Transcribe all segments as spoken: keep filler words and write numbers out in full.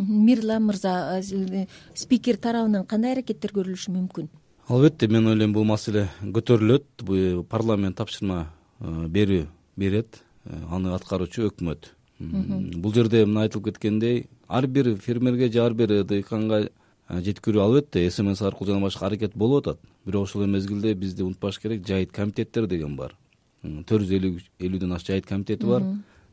Мирлан мырза, спикер тарабынан кандай аракеттер көрүлүшү мүмкүн? Албетте, мен ойлойм бул маселе көтөрүлөт. Бул парламент тапшырма берүү берет, аны аткаруучу өкмөт. Бул жерде мына айтылып кеткендей, ар бир фермерге же ар бир дыйканга жеткирүү албетте СМС аркылуу жана башка аракет болуп атат. Бирок ошол мезгилде бизди унутпаш керек, жайыт комитеттер деген бар. төрт жүз элүүдөн ашык жайыт комитети бар.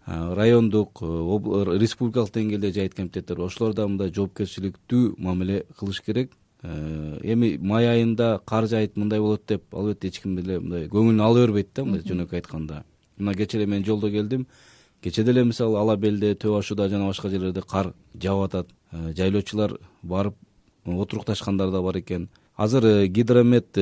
Райондук, республикалык деңгээлде жайыт комитеттер бар. Ошолор да мындай жоопкерчиликтүү мамиле кылыш керек. Эми май айында кар жайыт мындай болот деп албетте эч ким деле мындай көңүлүнө ала бербейт да, мындай жөнөкөй айтканда. Мына кечээ эле мен жолдо келдим. Кечээ деле мисалы Ала Белде, Төө Ашууда жана башка жерлерде кар жаап атат. Жайлоочулар барып отурукташкандар да бар экен. Азыр Гидромет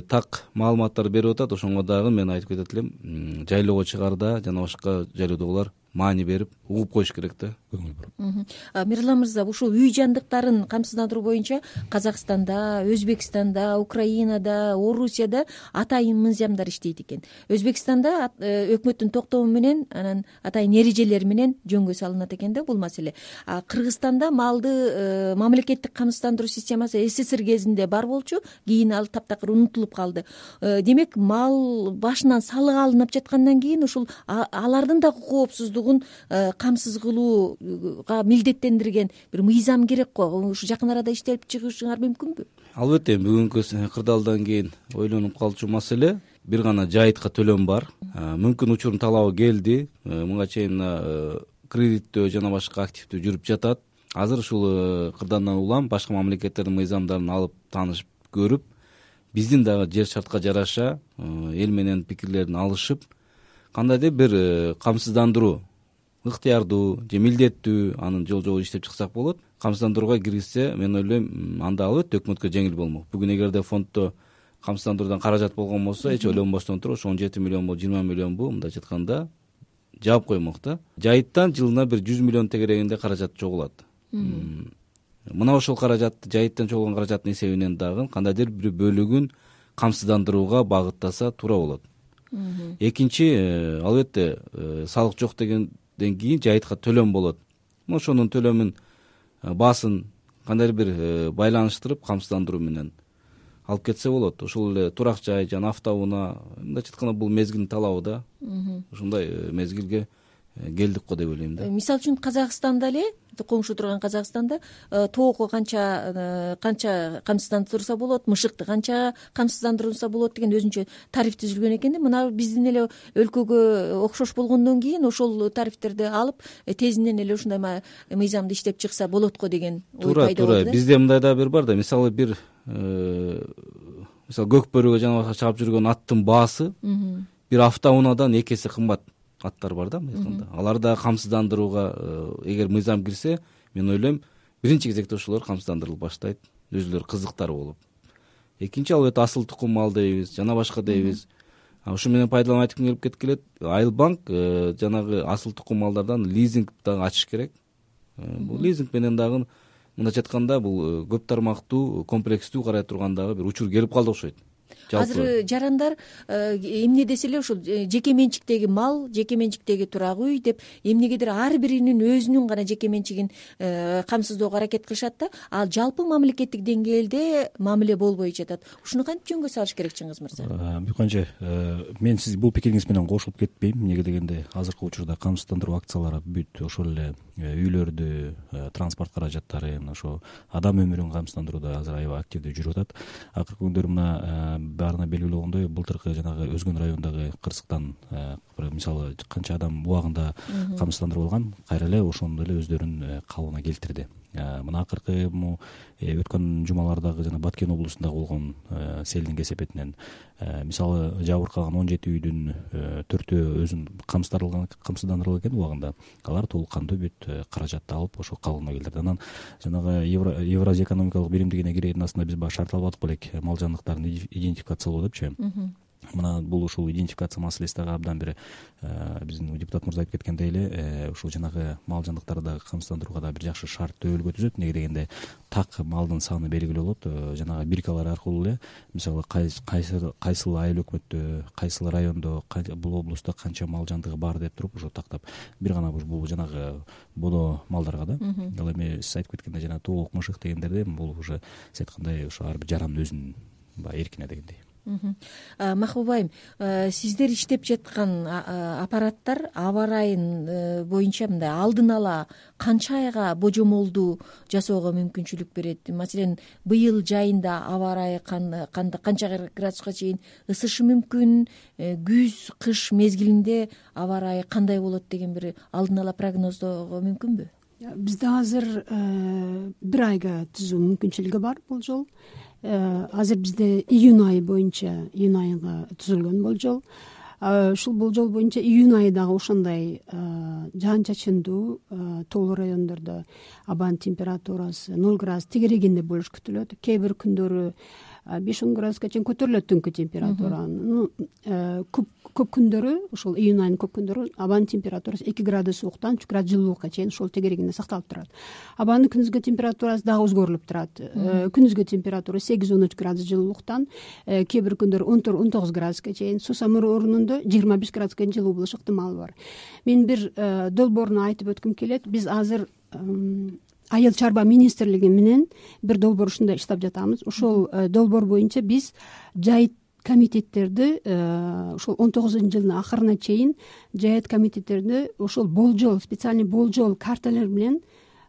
так маалыматтар берип атат. Ошонго дагы мен айтып кетет элем, жайлоого чыгарда жана башка жайлоодогулар маани берип угуп коюш керек да, көңүл буруп. Мирлан мырза, ушул үй жандыктарын камсыздандыруу боюнча Казакстанда, Өзбекстанда, Украинада, Орусияда атайын мыйзамдар иштейт экен. Өзбекстанда өкмөттүн токтому менен, анан атайын эрежелери менен жөнгө салынат экен да бул маселе. Кыргызстанда малды мамлекеттик камсыздандыруу системасы СССР кезинде бар болчу, кийин ал таптакыр унутулуп калды. Демек, мал башынан салык алынып жаткандан кийин ушул алардын да коопсуздугун камсыз кылууга милдеттендирген бир мыйзам керек го. Ушу жакын арада иштелип чыгышыңар мүмкүнбү? Албетте, бүгүнкү кырдаалдан кийин ойлонуп калчу маселе бир гана жайытка төлөм бар. Мүмкүн учурдун талабы келди. Мынга чейин кредиттөө жана башка активдүү жүрүп жатат. Азыр ушул кырдаалдан улам башка мамлекеттердин мыйзамдарын алып таанышып көрүп, биздин дагы жер шартка жараша эл менен пикирлерин алышып, кандайдыр бир камсыздандыруу ыктыярдуу же милдеттүү анын жол жобо иштеп чыксак болот. Камсыздандырууга киргизсе, мен ойлойм, анда албетте өкмөткө жеңил болмок. Бүгүн эгерде фонддо камсыздандыруудан каражат болгон болсо, эч ойлонбостон туруп ошо он жети миллионбу, жыйырма миллионбу мындайча айтканда жаап коймок да. Жайыттан жылына бир жүз миллион тегерегинде каражат чогулат. Мына ошол каражатты, жайыттан чогулган каражаттын эсебинен дагы кандайдыр бир бөлүгүн камсыздандырууга багыттаса туура болот. Экинчи, албетте, салык жок дегенден кийин жайытка төлөм болот. Ошонун төлөмүн баасын кандайдыр бир байланыштырып камсыздандыруу менен алып кетсе болот. Ошол эле турак жай жана автоунаа, мындайча айтканда бул мезгилдин талабы да. Ушундай мезгилге келдик го деп ойлойм да. Мисалы үчүн Казакстанда эле, коңшу турган Казакстанда тоокко канча канча камсыздандырса болот, мышыкты канча камсыздандырса болот деген өзүнчө тариф түзүлгөн экен да. Мына биздин эле өлкөгө окшош болгондон кийин ошол тарифтерди алып тезинен эле ушундай мыйзамды иштеп чыкса болот го деген ой пайда болду. Туура, бизде мындай да бир бар да. Мисалы бир мисалы көк бөрүгө жана башка чаап жүргөн аттын баасы бир автоунаадан эки эсе кымбат аттар бар да, айтканда. Алар да камсыздандырууга эгер мыйзам кирсе, мен ойлойм, биринчи кезекте ошолор камсыздандырылып баштайт, өзүлөрү кызыктар болуп. Экинчи, албетте, асыл тукум мал дейбиз, жана башка дейбиз. Ушу менен пайдаланып айткым келип кеткилет. Айылбанк жанагы асыл тукум малдардан лизинг дагы ачыш керек. Бул лизинг менен дагы мындайча айтканда бул көп тармактуу, комплекстүү карай турган дагы бир учур келип калды окшойт. Азыр жарандар эмне десе эле ушул жеке менчиктеги мал, жеке менчиктеги турак үй деп эмнегедир ар биринин өзүнүн гана жеке менчигин камсыздоого аракет кылышат да, ал жалпы мамлекеттик деңгээлде мамиле болбой жатат. Ушуну кантип жөнгө салыш керек, Чыңгыз мырза? Бүйкөнчө, мен сиз бул пикириңиз менен кошулуп кетпейм. Эмнеге дегенде, азыркы учурда камсыздандыруу акциялары бүт ошол эле үйлөрдү, транспорт каражаттарын, ошо адам өмүрүн камсыздандырууда азыр аябай активдүү жүрүп атат. Акыркы күндөр мына баарына белгилүү болгондой, былтыркы жанагы Өзгөн районундагы кырсыктан мисалы канча адам убагында камсыздандырып алган, кайра эле ошону эле өздөрүнүн калыбына келтирди. Мына акыркы өткөн жумалардагы жана Баткен облусунда болгон селдин кесепетинен мисалы жабыркаган он жети үйдүн төртөө өзүн камсыздандырылган экен убагында. Алар толук кандуу бүт каражатты алып ошо калыбына келтирди. Анан жанагы Евразия экономикалык биримдигине кирердин астында биз баягы шарт алып аттык белек, мал жандыктарын идентификациялоо депчи. мына бул ушул идентификация маселеси дагы абдан бир биздин депутат мырза айтып кеткендей эле ушул жанагы мал жандыктарды дагы камсыздандырууга дагы бир жакшы шарт төбөлгө түзөт. Эмнеге дегенде так малдын саны белгилүү болот. Жанагы биркалар аркылуу эле мисалы кайсы кайсыл айыл өкмөттө, кайсыл райондо, бул облустта канча мал жандыгы бар деп туруп ошо тактап бир гана бул жанагы бодо малдарга да. Ал эми сиз айтып кеткендей жанагы тоолук мышык дегендерде бул уже сиз айткандай ошо ар бир жарандын өзүнүн баягы эркине дегендей. Махбуба айым, сиздер иштеп жаткан аппараттар аба ырайын боюнча мындай алдын ала канча айга божомолду жасоого мүмкүнчүлүк берет? Маселен, быйыл жайында аба ырайы канча градуска чейин ысышы мүмкүн, күз, кыш мезгилинде аба ырайы кандай болот деген бир алдын ала прогноздоого мүмкүнбү? Бизде азыр бир айга түзүү мүмкүнчүлүгү бар болжол. Азыр бизде июнь айы боюнча июнь айга түзүлгөн болжол. Ушул болжол боюнча июнь айы дагы ошондой жаан чачындуу тоолуу райондордо абанын температурасы ноль градус тегерегинде болуш күтүлөт. Кээ бир күндөрү беш он градуска чейин көтөрүлөт түнкү температура. Көп көп күндөрү ошол июнь айынын көп күндөрү абанын температурасы эки градус сууктан үч градус жылуулукка чейин ошол тегерегинде сакталып турат. Абанын күндүзгү температурасы дагы өзгөрүлүп турат. Күндүзгү температура сегиз он үч градус жылуулуктан кээ бир күндөр он төрт он тогуз градуска чейин, сусамыр орнунда жыйырма беш градуска жылуу болуш ыктымалы бар. Мен бир долбоорун айтып өткүм келет. Биз азыр Айыл чарба министрлиги менен бир долбоор ушундай иштеп жатабыз. Ошол долбоор боюнча биз жайыт комитеттерди ошол он тогузунчу жылдын акырына чейин жайыт комитеттерди ошол болжол, специальный болжол карталар менен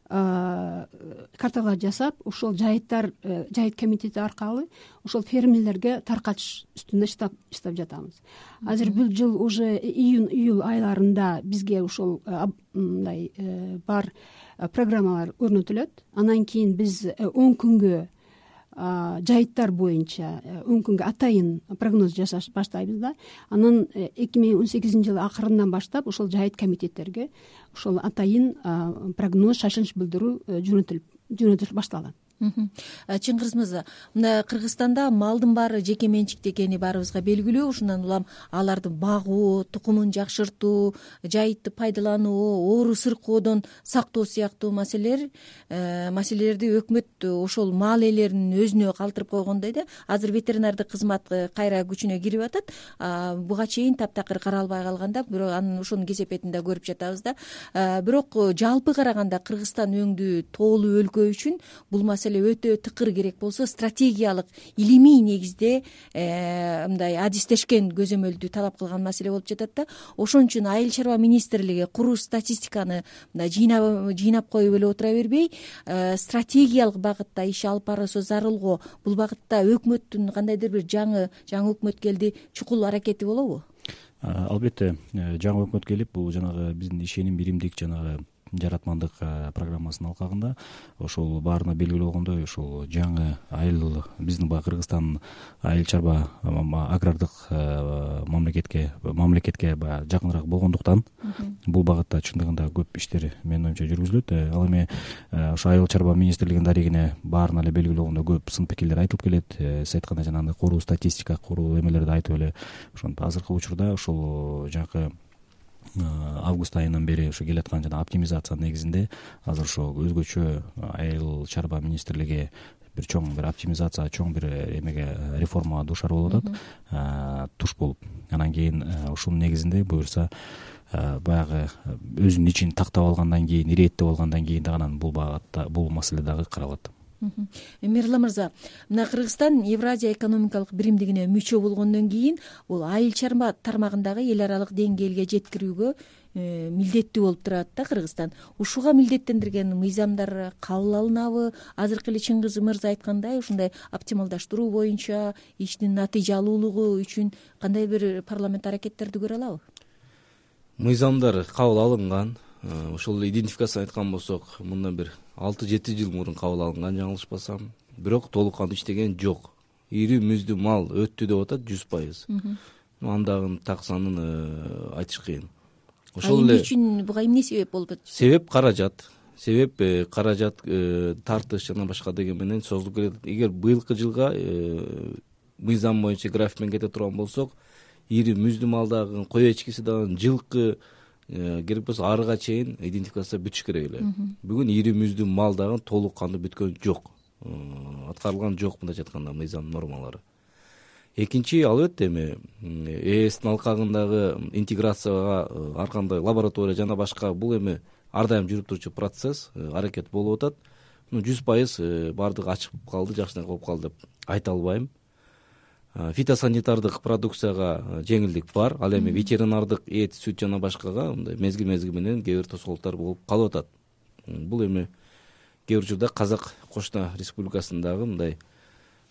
карталар жасап, ошол жайыттар жайыт комитети аркылуу ошол фермерлерге таркатыш үстүндө иштеп иштеп жатабыз. Азыр бул жыл уже июнь июль айларында бизге ошол мындай бар программалар өрнөтүлөт. Анан кийин биз он күнгө жайыттар боюнча он күнгө атайын прогноз жасаш баштайбыз да. Анан эки миң он сегизинчи жылы акырынан баштап ошол жайыт комитеттерге ошол атайын прогноз, шашылыш билдирүү жөнөтүлүп жөнөтүш башталат. Чыңгыз мырза, мына Кыргызстанда малдын баары жеке менчикте экени баарыбызга белгилүү. Ушундан улам аларды багуу, тукумун жакшыртуу, жайытты пайдалануу, оору сыркоодон сактоо сыяктуу маселелер маселелерди өкмөт ошол мал ээлеринин өзүнө калтырып койгондой да. Азыр ветеринардык кызмат кайра күчүнө кирип атат. Буга чейин таптакыр каралбай калганда, бирок анын ошонун кесепетин да көрүп жатабыз да. Бирок жалпы караганда Кыргызстан өңдүү тоолуу өлкө үчүн бул маселе өтө тыкыр керек болсо, стратегиялык илимий негизде мындай адистешкен көзөмөлдү талап кылган маселе болуп жатат да. Ошон үчүн Айыл чарба министрлиги куруу статистиканы мындай жыйнап жыйнап коюп эле отура бербей, стратегиялык багытта иш алып барылса зарыл го. Бул багытта өкмөттүн кандайдыр бир жаңы жаңы өкмөт келди, чукул аракети болобу? Албетте, жаңы өкмөт келип, бул жанагы биздин ишеним биримдик жанагы жаратмандык программасынын алкагында ошол баарына белгилүү болгондой, ошол жаңы айыл биздин баягы Кыргызстан айыл чарба агрардык мамлекетке мамлекетке баягы жакыныраак болгондуктан бул багытта чындыгында көп иштер менин оюмча жүргүзүлөт. Ал эми ошо айыл чарба министрлигинин дарегине баарына эле белгилүү болгондой көп сын пикирлер айтылып келет. Сиз айткандай жанагындай куруу статистика, куруу эмелерди айтып эле ошентип азыркы учурда ошол жанагы август айынан бери ошо келаткан жана оптимизация негизинде азыр ошо өзгөчө айыл чарба министрлиги бир чоң бир оптимизация, чоң бир эмеге реформага дуушар болуп атат, туш болуп. Анан кийин ушунун негизинде буюрса баягы өзүнүн ичин тактап алгандан кийин, ирээттеп алгандан кийин дагы анан бул багытта бул маселе дагы каралат. Мирла мырза, мына Кыргызстан Евразия экономикалык биримдигине мүчө болгондон кийин бул айыл чарба тармагындагы эл аралык деңгээлге жеткирүүгө милдеттүү болуп турат да Кыргызстан. Ушуга милдеттендирген мыйзамдар кабыл алынабы? Азыркы эле Чыңгыз мырза айткандай, ушундай оптималдаштыруу боюнча иштин натыйжалуулугу үчүн кандай бир парламент аракеттерди көрө алабы? Мыйзамдар кабыл алынган. Ошол идентификацияны айткан болсок, мындан бир алты жети жыл мурун кабыл алынган, жаңылышпасам. Бирок толук кандуу иштеген жок. Ири мүздүү мал өттү деп атат жүз пайыз. Андагы так санын айтыш кыйын. Ошол эле үчүн буга эмне себеп болуп атат? Себеп каражат. Себеп каражат тартыш жана башка деген менен созулуп келет. Эгер быйылкы жылга мыйзам боюнча график менен кете турган болсок, ири мүздү малдагы кой эчкиси дагы жылкы керек болсо арыга чейин идентификация бүтүш керек эле. Бүгүн ири мүздү мал дагы толук кандуу бүткөн жок, аткарылган жок мындайча айтканда мыйзам нормалары. Экинчи, албетте эми ээстин алкагындагы интеграцияга ар кандай лаборатория жана башка бул эми ар дайым жүрүп турчу процесс, аракет болуп атат. жүз пайыз баардыгы ачык калды, жакшынакай болуп калды деп айта албайм. Фитосанитардык продукцияга жеңилдик бар, ал эми ветеринардык эт, сүт жана башкага мындай мезгил мезгил менен кээ бир тоскоолдуктар болуп калып атат. Бул эми кээ бир учурда Казак Кошуна Республикасындагы мындай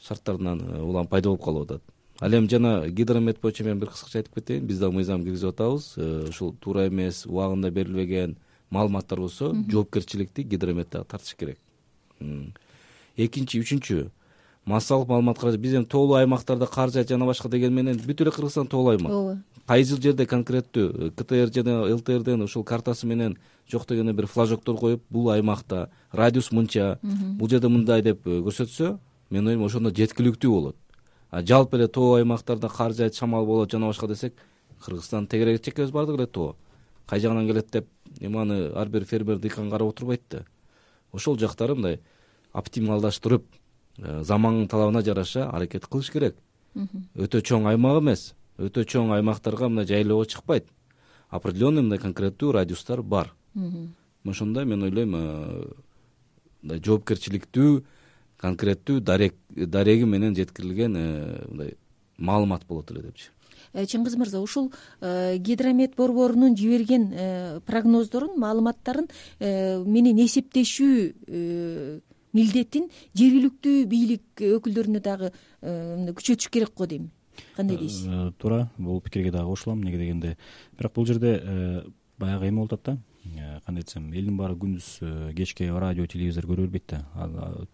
шарттарынан улам пайда болуп калып атат. Ал эми жана гидромет боюнча мен бир кыскача айтып кетейин. Биз дагы мыйзам киргизип атабыз. Ушул туура эмес, убагында берилбеген маалыматтар болсо, жоопкерчиликти гидромет дагы тартыш керек. Экинчи, үчүнчү, массалык маалыматка биз эми тоолуу аймактарда кар жаайт жана башка деген менен бүт эле Кыргызстан тоолуу аймак. Ооба. Кайсы жерде конкреттүү КТР жана ЛТРден ушул картасы менен жок дегенде бир флажоктор коюп, бул аймакта радиус мынча, бул жерде мындай деп көрсөтсө, мен ойлойм ошондо жеткиликтүү болот. А жалпы эле тоо аймактарда кар жаайт, шамал болот жана башка десек, Кыргызстан тегерек чекебиз бардык эле тоо. Кай жагынан келет деп эми аны ар бир фермер дыйкан карап отурбайт да. Ошол жактары мындай оптималдаштырып, замандын талабына жараша аракет кылыш керек. Өтө чоң аймак эмес, өтө чоң аймактарга мындай жайлоого чыкпайт. Определенный мындай конкреттүү радиустар бар. Ошондой мен ойлойм, мындай жоопкерчиликтүү, конкреттүү дареги менен жеткирилген мындай маалымат болот эле депчи. Чыңгыз мырза, ушул гидромет борборунун жиберген прогноздорун, маалыматтарын менен эсептешүү милдетин жергиликтүү бийлик өкүлдөрүнө дагы күчөтүш керек го дейм. Кандай дейсиз? Туура, бул пикирге дагы кошулам. Неге дегенде, бирок бул жерде баягы эме болуп атат да. Кандай десем, элдин баары күндүз кечке радио, телевизор көрө бербейт да.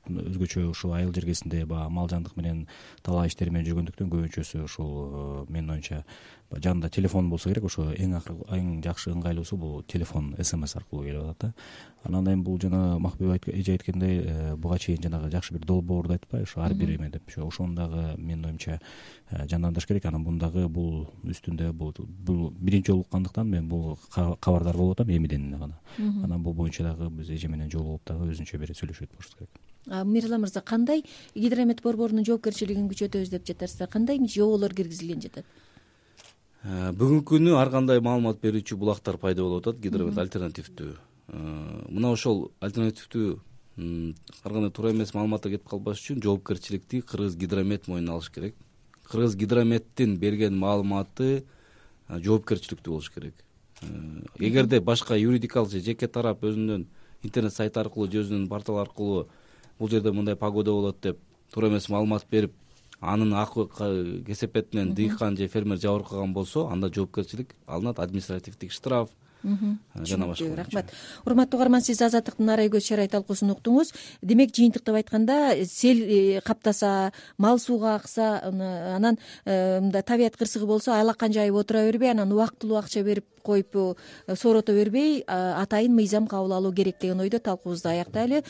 Өзгөчө ушул айыл жергесинде баягы мал жандык менен талаа иштери менен жүргөндүктөн көбүнчөсү ушул менин оюмча жанында телефон болсо керек. Ошо эң эң жакшы ыңгайлуусу бул телефон, смс аркылуу келип атат да. Анан дайым бул жана Макбек эже айткандай, буга чейин жанагы жакшы бир долбоорду айтпайбы, ошо ар бир эме деп, ошону дагы менин оюмча жандандырыш керек. Анан бундагы бул үстүндө бул биринчи жолу уккандыктан мен бул кабардар болуп атам эмиден гана. Анан бул боюнча дагы биз эже менен жолугуп дагы өзүнчө бир сүйлөшүп болушубуз керек. Мирза мырза, кандай гидромет борборунун жоопкерчилигин күчөтөбүз деп жатасыздар? Кандай жоболор киргизилген жатат? Бүгүнкү күнү ар кандай маалымат берүүчү булактар пайда болуп атат, гидромет альтернативдүү. Мына ошол альтернативдүү ар кандай туура эмес маалыматтар кетип калбаш үчүн жоопкерчиликти Кыргыз гидромет мойнуна алыш керек. Кыргыз гидрометтин берген маалыматы жоопкерчиликтүү болуш керек. Эгерде башка юридикалык же жеке тарап өзүнүн интернет сайты аркылуу же өзүнүн портал аркылуу бул жерде мындай погода болот деп туура эмес маалымат берип, анын акы кесепетинен дыйкан же фермер жабыркаган болсо, анда жоопкерчилик алынат, административдик штраф жана башка. Рахмат. Урматтуу угарман, сиз Азаттыктын Арай көз шарайт талкуусун уктуңуз. Демек, жыйынтыктап айтканда, сел каптаса, мал сууга акса, анан мындай табият кырсыгы болсо, айлаккан жайып отура бербей, анан убактылуу акча берип коюп соорото бербей, атайын мыйзам кабыл алуу керек деген ойдо талкуубузду аяктайлы.